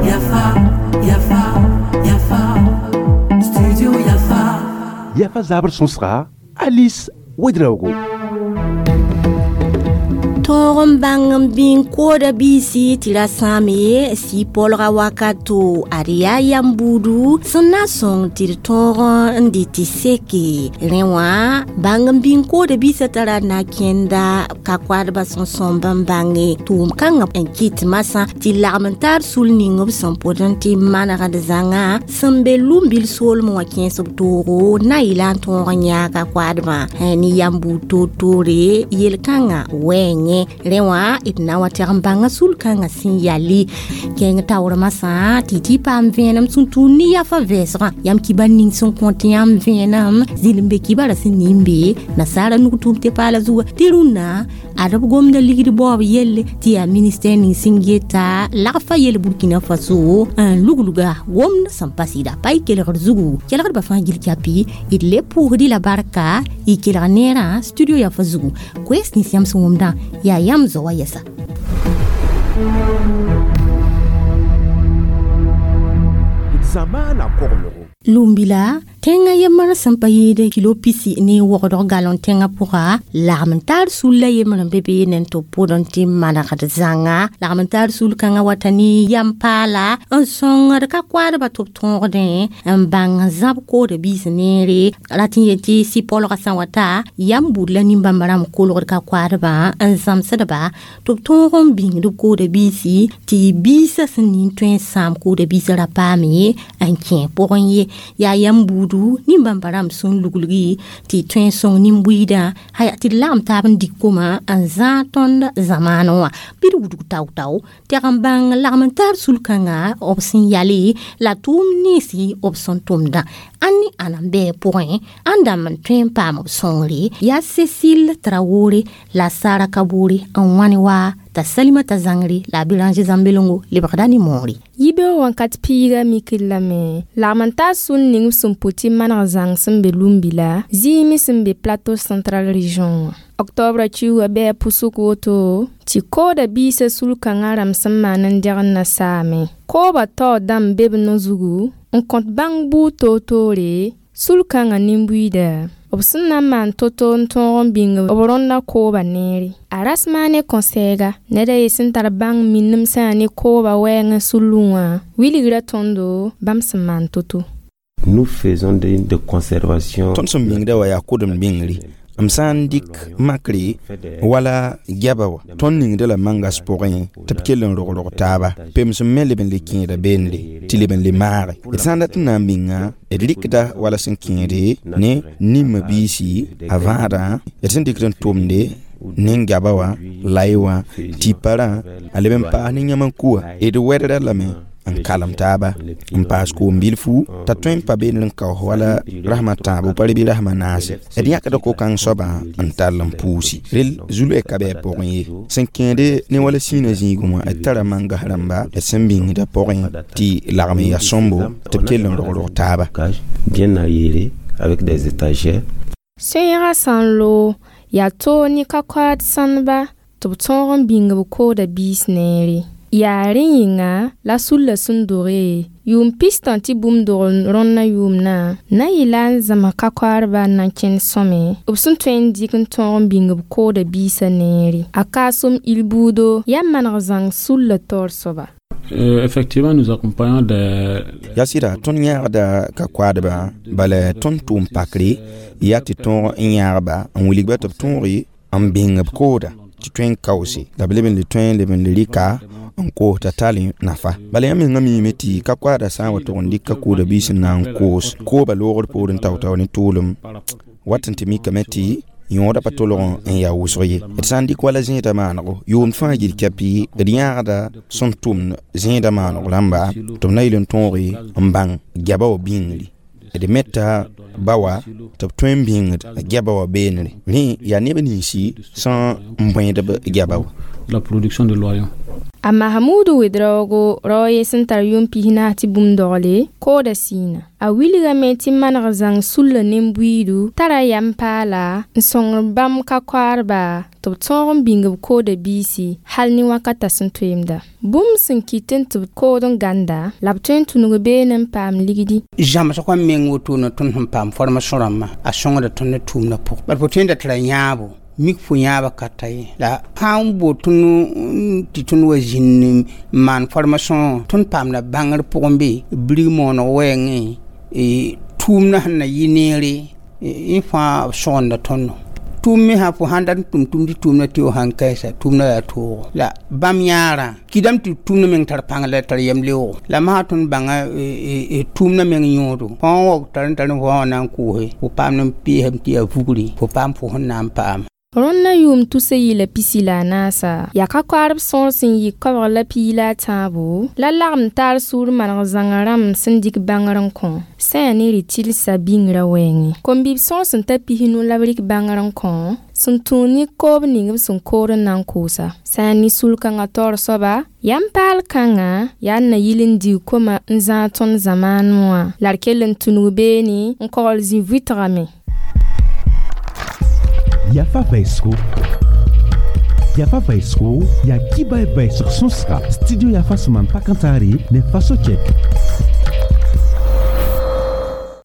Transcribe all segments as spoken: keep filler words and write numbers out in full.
Yafa, Yafa, Yafa, Studio Yafa. Yafa zabr sõsga Alice Ouedraogo. Tõog n bãng n bĩng kooda biisi tɩ ra sãame sɩ polga wakato ad yaa yam buudu sẽn na n sõng tɩ d tõog n dɩ tɩ seke rẽ wã bãng n bĩng kooda biisã tara na kẽnda ka koadbã sẽn sõmb n bãnge tʋʋm kãngã n kɩt masã tɩ lagm n taar sul ning b sẽn pʋd n tɩ manegd zãnga sẽn be lumbil soolmẽ wã kẽes b toogo na yɩla n tõog n yãag a koadbã ne yam buud toor-toore yel-kãngã wɛɛngẽ rẽ wã d na wa tɛg n bãnga sul-kãngã sẽn yali kẽng taoor masã tɩ tɩ paam vẽenem sẽn tũud ne yafa vɛɛsgã yãmb kibar ning sẽn kõt yãmb vẽenem zĩl n be kibara sẽn ning be nasaara nug tʋʋm tɩ paala zuga tɩ rũnnã ad b gomda ligd baoob yelle tɩ yaa ministɛr ning sẽn geta lagfa yel Burkina Faso n lugluga gomd sẽn pa sɩda pa y kelgd zugu kelgdbã fãa gil kapi d le pʋʋsd la barka y kelg neerã studio yafa zugu koɛɛs nins yãmb sẽn wʋmdã yaa yãmb zoa wa yɛsa. Zamana koglgo. Lumbila tẽngã yembr sẽn pa yɩɩd kilo pisi ne wogdg galõ tẽngã pʋga lagm n taar sul la yembr n be beene n tɩ b pʋd n tɩ manegd zãnga lagm n taar sul kãngã wata ne yam paala n sõngd ka koadbã tɩ b tõogdẽ n bãng n zãb kooda biis neere rat n yet tɩ sɩ-polgã sã wata yam bud la nin-bãmba rãmb kolgd ka koadbã n zãmsdba tɩ b tõog n bĩngd b kooda biisi tɩ biisã sẽn ning tõe n sãam kooda biisã ra paame n kẽ pʋgẽ ye yaa yam buudu nin-bãmba rãmb sẽn luglgi tɩ tõe n sõng nin-buiidã haya tɩ d lagem taab n dɩk koma n zãag tõnd zamaanẽ wã bɩ d wudg tao-tao tɛg n bãng lagm n taar sul-kãnga b sẽn yale la tʋʋm ninsi b sẽn tʋmdã ãn ne ãna n bɩ pʋgẽ ãn dãmb n tõe n paam b sõngre yaa Cécile Traoré la Sara Kabore n wãne wa t'a Salimata Zãngre la a Béranger Zãmbelongo lebgda ne moore. Yibeoog wãnkat piiga mikr lame lagm n taar sũn ning b sẽn pʋ tɩ maneg zãng sẽn be lumbila zĩime sẽn be Plateau Central Region wã octobre kiuugã bɩ a pʋsg woto tɩ kooda biisã sul-kãngã rãmb sẽn maan n dẽgd na saame koobã taoor dãmb be b no-zugu n kõt bãng buud toor-toore sul-kãngã nin-buiida b sẽn na n maan to-to n tõog n bĩng b rõndã kooba neere a rasmaane kõ-sɛɛga ned a ye sẽn tar bãng minemsã ne kooba wɛɛngẽ sullẽ wã wilgra tõndo bãmb sẽn maan to-to. Nous faisons de, de conservation. Tõnd sẽn bĩngda wa yaa kʋdem bĩngri m sã n dɩk makre wala gɛba wa tõnd ningda la mangas pʋgẽ tɩ b kell n rog-rog taaba pems n me leb n le kẽeda beendre tɩ leb n le maage d sã n dat n na n bĩnga d rɩkda wala sẽn kẽede ne nin-ma biisi a vãadã d sẽn dɩkd n tʋmde nin-gaba wã lai wã tɩparã a leb n paas ne yãm n kuwa d wɛdra lame n kalem taaba n paas koom bilfu t'a tõe n pa beene n kaoos wala rasmã tãabo pa bɩ rasmã naase d yãkda ko-kãng soabã n tall n puusi rel zulɛ ka bɩ a pʋgẽ ye sẽn kẽede ne wala sĩinã zĩigẽ wã d tara mangas rãmba d sẽn bĩngda pʋgẽ tɩ lagm n yaa sõmbo tɩ b kell n rog-rog taaba. Bien aéré avec des étagères. Sõiegã sã n loog yaa toog ne ka-koaad sãndba tɩ b tõog n bĩng b kooda biis neere yaa rẽ yĩnga la sulla sẽn doge yʋʋm pistã tɩ bũmb dog rõndã yʋʋmdã na n yɩla n zãms ka-koaadbã n na n kẽnd sõme b sẽn tõe n dɩk n tõog n bĩng b kooda biisã neere a kaasem il buudo yaa maneg zãng sulla taoor soaba. Euh, effectivement, nous accompagnons des... Yaa sɩda tõnd yãagda ka koadbã bala tõnd tʋʋm pakre yaa tɩ tõog n yãagba n wilgba tɩ b tõoge n bĩng b kooda tɩ tõe n kaoose la b leb n le tõe n leb n le rɩka n koos t'a tall nafa bala yãmb mengã miime tɩ ka koaada sã n wa tʋg n dɩk ka kooda biis n na n koos kooba loogr poorẽ tao-tao ne tʋʋlem wat n tɩ mikame tɩ yõoda pa tolg n yaa wʋsg ye d sã n dɩk wala zẽeda maanego yʋʋmd fãa gil kapi d yãagda sẽn tʋmd zẽeda maanego rãmba tɩ b na yɩl n tõoge n bãng gɛba wa bĩngri d meta ba wa tɩ b tõe n bĩngd gɛba wa beenre rẽ yaa neb ninsi sẽn n bõedb gɛba wa. La production de loyons. A Mahamudu Ouedraogo rao ye sẽn tar yʋʋm pis naas tɩ bũmb dogle kooda sɩɩna a wilgame tɩ maneg zãng sulla nin-buiidu tara yam paala n sõngr bãmb ka-koaadba tɩ b tõog n bĩng b kooda biisi hal ne wakata sẽn toeemda bũmb sẽn kɩt n tɩ b kood n gãnda la b tõe n tũnug beene n paam ligdi. Zãmsgã meng wotone tõnd sẽn paam formation rãmbã a sõngda tõnd ne tʋʋmdã pʋgẽ bala fo tõe n da tɩ ra yãabo mik fo yãaba ka ta ye la sã n boot tõnd tɩ tõnd wa zĩnd n maan formation tõnd paamda bãngr pʋgẽ be birig mooneg wɛɛngẽ tʋʋmdã sẽn na yɩ neere yẽ fãa b sõgenda tõndo tʋʋm me sã fo sãn dat n tʋm tʋm tɩ tʋʋmdã tɩ f sãn kaɩsa tʋʋmdã yaa toogo la bãmb yãarã kɩdame tɩ tʋʋmdã meng tar pãng la tar yɛm leoogo la masã tõnd bãnga tʋʋmdã meng yõodo fãa wa tar n tar n fo wã na n koose fo paam n peesame tɩ yaa vugri fo paam fo sẽn na n paam. Rõndã yʋʋm tusa yɩla pisi la a naasa yaa ka-koaadb sõor sẽn yɩ koabg la piig la a tãabo la lagem taar sũur maneg zãnga rãmb sẽn dɩk bãngr n kõ sã yaa ne rɩ-tɩlsa bĩngrã wɛɛngẽ kom-bib sõor sẽn ta pis-nu la b rɩk bãngr n kõ sẽn tũud ne koob ning b sẽn kood n na n koosa sã yaa ne sul-kãngã taoor soaba yam paal kãngã yaa n na yɩl n dig koma n zãag tõnd zamaanẽ wã la d kell n tũnug beene n kogl zĩ-vɩtgame. Yafa vɛɛsgo Yafa vɛɛsgo yaa kiba vɛɛsg sõsga studio Yafa sẽn maan pa-kãntaare ne Faso Check.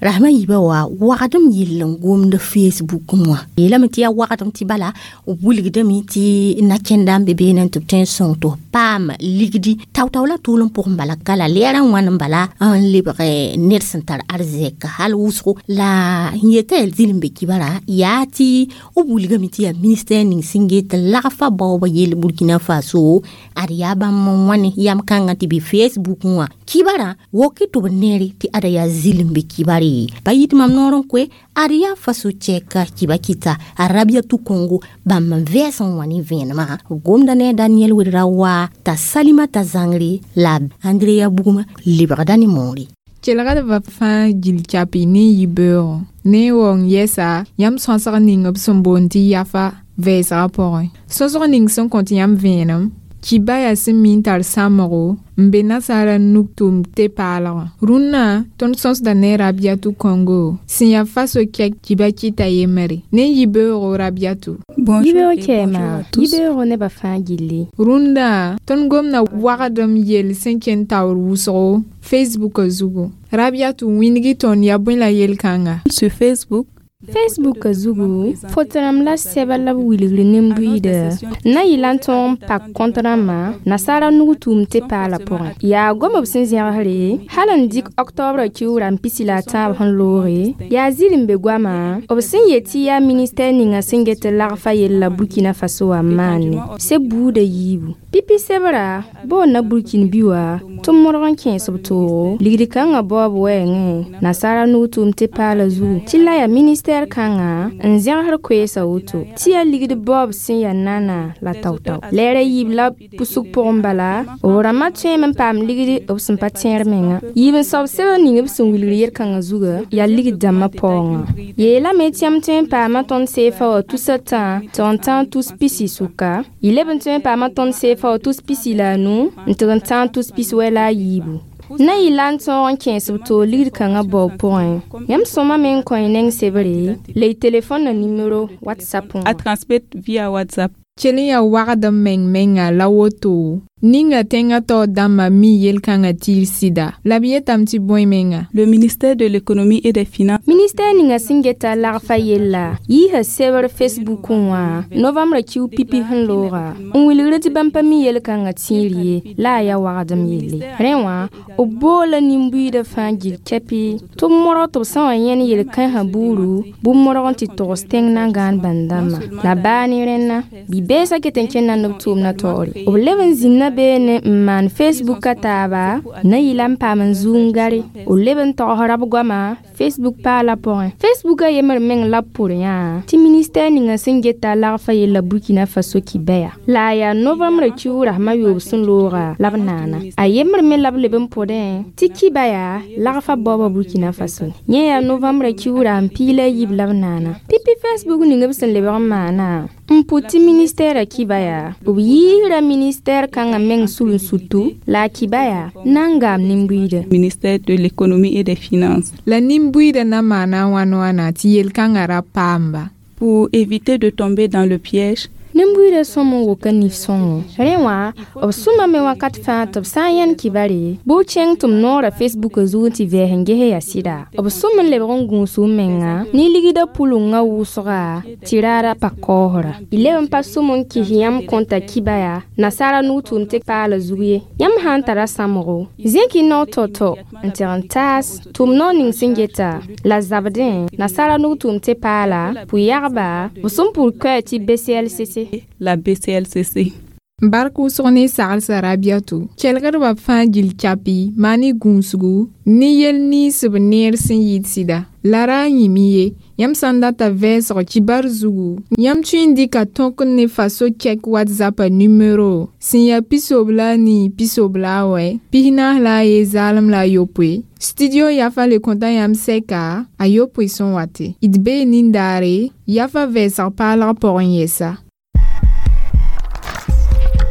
Rahma yiibã wa wagdem yell n gomd Facebook wã yeelame tɩ yaa wagdem tɩ bala b wilgdame tɩ na-kẽnda n be beene tɩ b tõe n sõng tɩ f paam ligdi tao-tao la tʋʋl n pʋgẽ bala ka la lɛɛrã wãn n bala n lebg ned sẽn tar arzɛk hal wʋsgo la n yeta yaa zĩl n be kibara yaa tɩ b wilgame tɩ yaa ministɛr ning sẽn get lagfa baooba yell Burkina Faso ad yaa bãmb n wãne yam kãngã tɩ bɩ Facebook wã kibara woke tɩ b neere tɩ ada yaa zĩl n be kibare pa yit mam noor n koe ad yaa Faso Check kiba kɩta a Rabiatu Congo bãmb n vɛɛs n wã ne vẽenemã b gomda ne a Daniel Ouedraogo t'a Salimata Zãngre la Andrea Bugma lebgda ne moore. Kelgdbã fãa gill kapi ne yibeoogo ne waoong yɛsa yãmb sõsg ning b sẽn boond tɩ yafa vɛɛsgã pʋgẽ sõsg ning sẽn kõt yãmb vẽenem kiba yaa sẽn mi n tar sãmgo n be nasaara nug tʋm tɩ paalgã rũnnã tõnd sõsda ne Rabiatu Congo sẽn yaa Faso kɛk kiba kɩta yembre ne yibeoogo Rabiatu. Yibeoog kɛɛma yibeoogo nebã fãa gilli. Rũndã tõnd gomda wagdem yell sẽn kẽnd taoor wʋsgo Facebook zugu Rabiatu wĩndg tõnd yaa bõe la yel-kãnga. Sur Facebook. Facebook zugu foto rãmb la sɛba la b wilgr nin-buiida na yɩla n tõog n pak kõt rãmbã nasaara nug tʋʋm tɩ paala pʋgẽ yaa gom b sẽn zẽgsre hal n dɩk ɔktɔbrã kiuurã n pisi la a tãab sẽn looge yaa zĩl n be goamã b sẽn yet tɩ yaa ministɛr ninga sẽn get lagfa yella Burkina Faso wã n maane seb buudã yiibu pipi sebra boonna Burkin bi wã tɩ modg n kẽes b toogo ligd kãngã baoob wɛɛngẽ nasaara nug tʋʋm tɩ paala zugu tɩ la yaa ministɛr kãngã n zẽgsd koeesa woto tɩ yaa ligd baoob sẽn yaa nana la tao-tao lɛɛrã yiib la pʋsg pʋgẽ bala b rãmbã tõeme n paam ligd b sẽn pa tẽer menga yiib n soab sebr ning b sẽn wilgr yel-kãngã zuga yaa ligd dãmbã paoongã yeelame tɩ yãmb tõe n paama tõnd seefa wã tusa tã tɩ n tãag tus pisi sʋka yɩ leb n tõe n paama tõnd seefa wã tus pisi la a nu n tɩg n tãag tus pis wɛ la a yiibu na yɩ la n tõog n kẽes b toog ligd kãngã baoob pʋgẽ yãmb sõma me n kõ y neng sebre la y telefõn na nimero WhatsApp wã. À transmettre via WhatsApp. Kell n yaa wagdem meng menga la woto ninga tẽngã taoor dãmbã mi yel-kãngã tɩ y sɩda la b yetame tɩ bõe menga. Le ministère de l'économie et des finances. Ministɛr ninga sẽn geta lagfa yella yiisa sebr Facebook wã novembrã kiu pipi sẽn looga n wilgr tɩ bãmb pa mi yel-kãngã tẽer ye la a yaa wagdem yelle rẽ wã b boola nin-buiidã fãa gill kɛpɩ tɩ b modg tɩ b sã wa yẽn yel-kãensã buuru bʋ modg n tɩ togs tẽng nan-gãan bãn-dãmbã la baa ne rẽnna bi-beesã ket n kẽnda ne b tʋʋmdã taoore b leb n zĩnna beene n maan Facebook a taaba na yɩla n paam n zug n gare b leb n togsra b goama Facebook paala pʋgẽ Facebook a yembr meng la b pʋr yã tɩ ministɛr ninga sẽn geta lagfa yella Burkina Faso kibaya la a yaa novembrã kiuug rasmã yoob sẽn looga la b naana a yembr me la b leb n pʋdẽ tɩ kibaya lagfa baooba Burkina Faso yẽ yaa novembrã kiuug n piig la a yiib la b naana pipi Facebook ning b sẽn lebg n maana N pʋ tɩ ministɛɛrã kiba yaa b yiisra ministɛɛr kãngã meng sul n sutu la a kiba yaa na n gaam nin-buiidã. Ministère de l'économie et des finances. La nin-buiidã na maana wãn wãna tɩ yel-kãngã ra paamba. Pour éviter de tomber dans le piège, Nin-buiidã sõm n woka nif-sõngo. Rẽ wã, b sũmame wakat fãa tɩ b sã n yãnd kibare, bɩ b kẽng tɩ m noorã Facebook zug n tɩ vɛɛs n ges yaa sɩda. B sũm n lebg n gũus m menga ne ligdã pʋlengã wʋsga tɩ raara pa kaoosra. Y leb n pa sũm n kɩs yãmb kõta kiba yaa nasaara nug-tʋʋm tɩ paala zug ye. Yãmb sã n tara sãmgo, zẽk y nao tao-tao n tɩg n taas tʋm nao ning sẽn geta la zabdẽ nasaara nug-tʋʋm tɩ paala pʋ-yagba b sẽn pʋr koɛɛ tɩ B C L C C. La B C L C C. Bark wʋsg ne saglsã Rabiatu kelgdbã fãa gill kapi maan ne gũusgu ne yel nins b neer sẽn yɩɩd sɩda la ra n yĩme ye yãmb sã n data vɛɛsg kibar zugu yãmb tõe n dɩka tõk ne faso kɛk WhatsApp numero sẽn yaa pisob la a nii pisob la a wɛ pisnaas la a ye zaalem la a yopoe. Studio Yafa le kõta yãmb sɛka a yopoe sẽn wate d bee nindaare Yafa vɛɛsg paalg pʋgẽ yɛsa.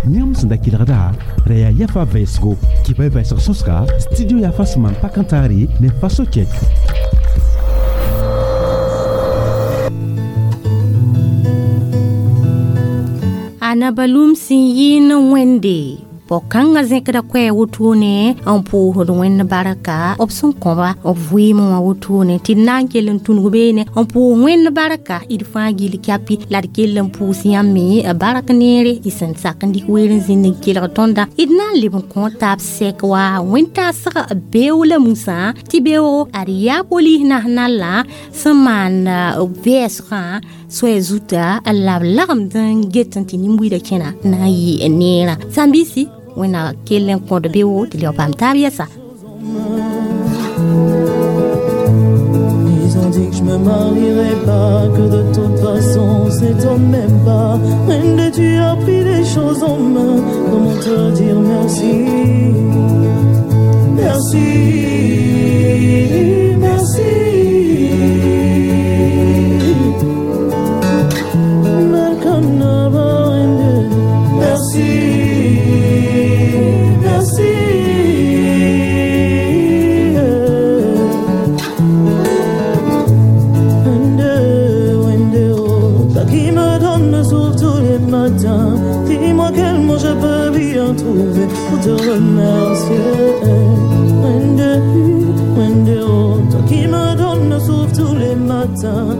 Yãmb sẽn da kelgda ra yaa Yafa vɛɛsgo kibã vɛɛsg sõsga studio Yafa sẽn maan pak n taare ne faso kɛk. A nabalum sẽn yɩɩn wẽnde pɔg-kãngã zẽkda koɛɛ wotone n pʋʋsd wẽnd barka b sẽn kõba b vɩɩmẽ wã wotone tɩ d na n kell n tũnug beene n pʋʋs wẽnd barka d fãa gill kapi la d kell n pʋʋs yãmb me bark neere y sẽn sak n dɩk weer n zĩnd n kelg tõnda d na n leb n kõ taab sɛk wa wẽn-taasg beoog la musã tɩ beoogo ad yaa polis nasional sẽn maan vɛɛsgã soɛ zuta la b lagmd n get n tɩ nin-buiidã kẽna na n yɩ neerã sãn-biisi wẽnna kell n kõd beoogo tɩ leb paam taab yɛsa. Ils ont dit que je me marierais pas, que de toute façon c'est toi même pas. Wende, tu as pris les choses en main, comment te dire merci? Merci, merci. Merkanaba Wende, merci, merci. Wende, Wende, oh, toi qui me donnes le souffle tous les matins, dis-moi quel mot je peux bien trouver pour te remercier. Wende, Wende, oh, toi qui me donnes le souffle tous les matins,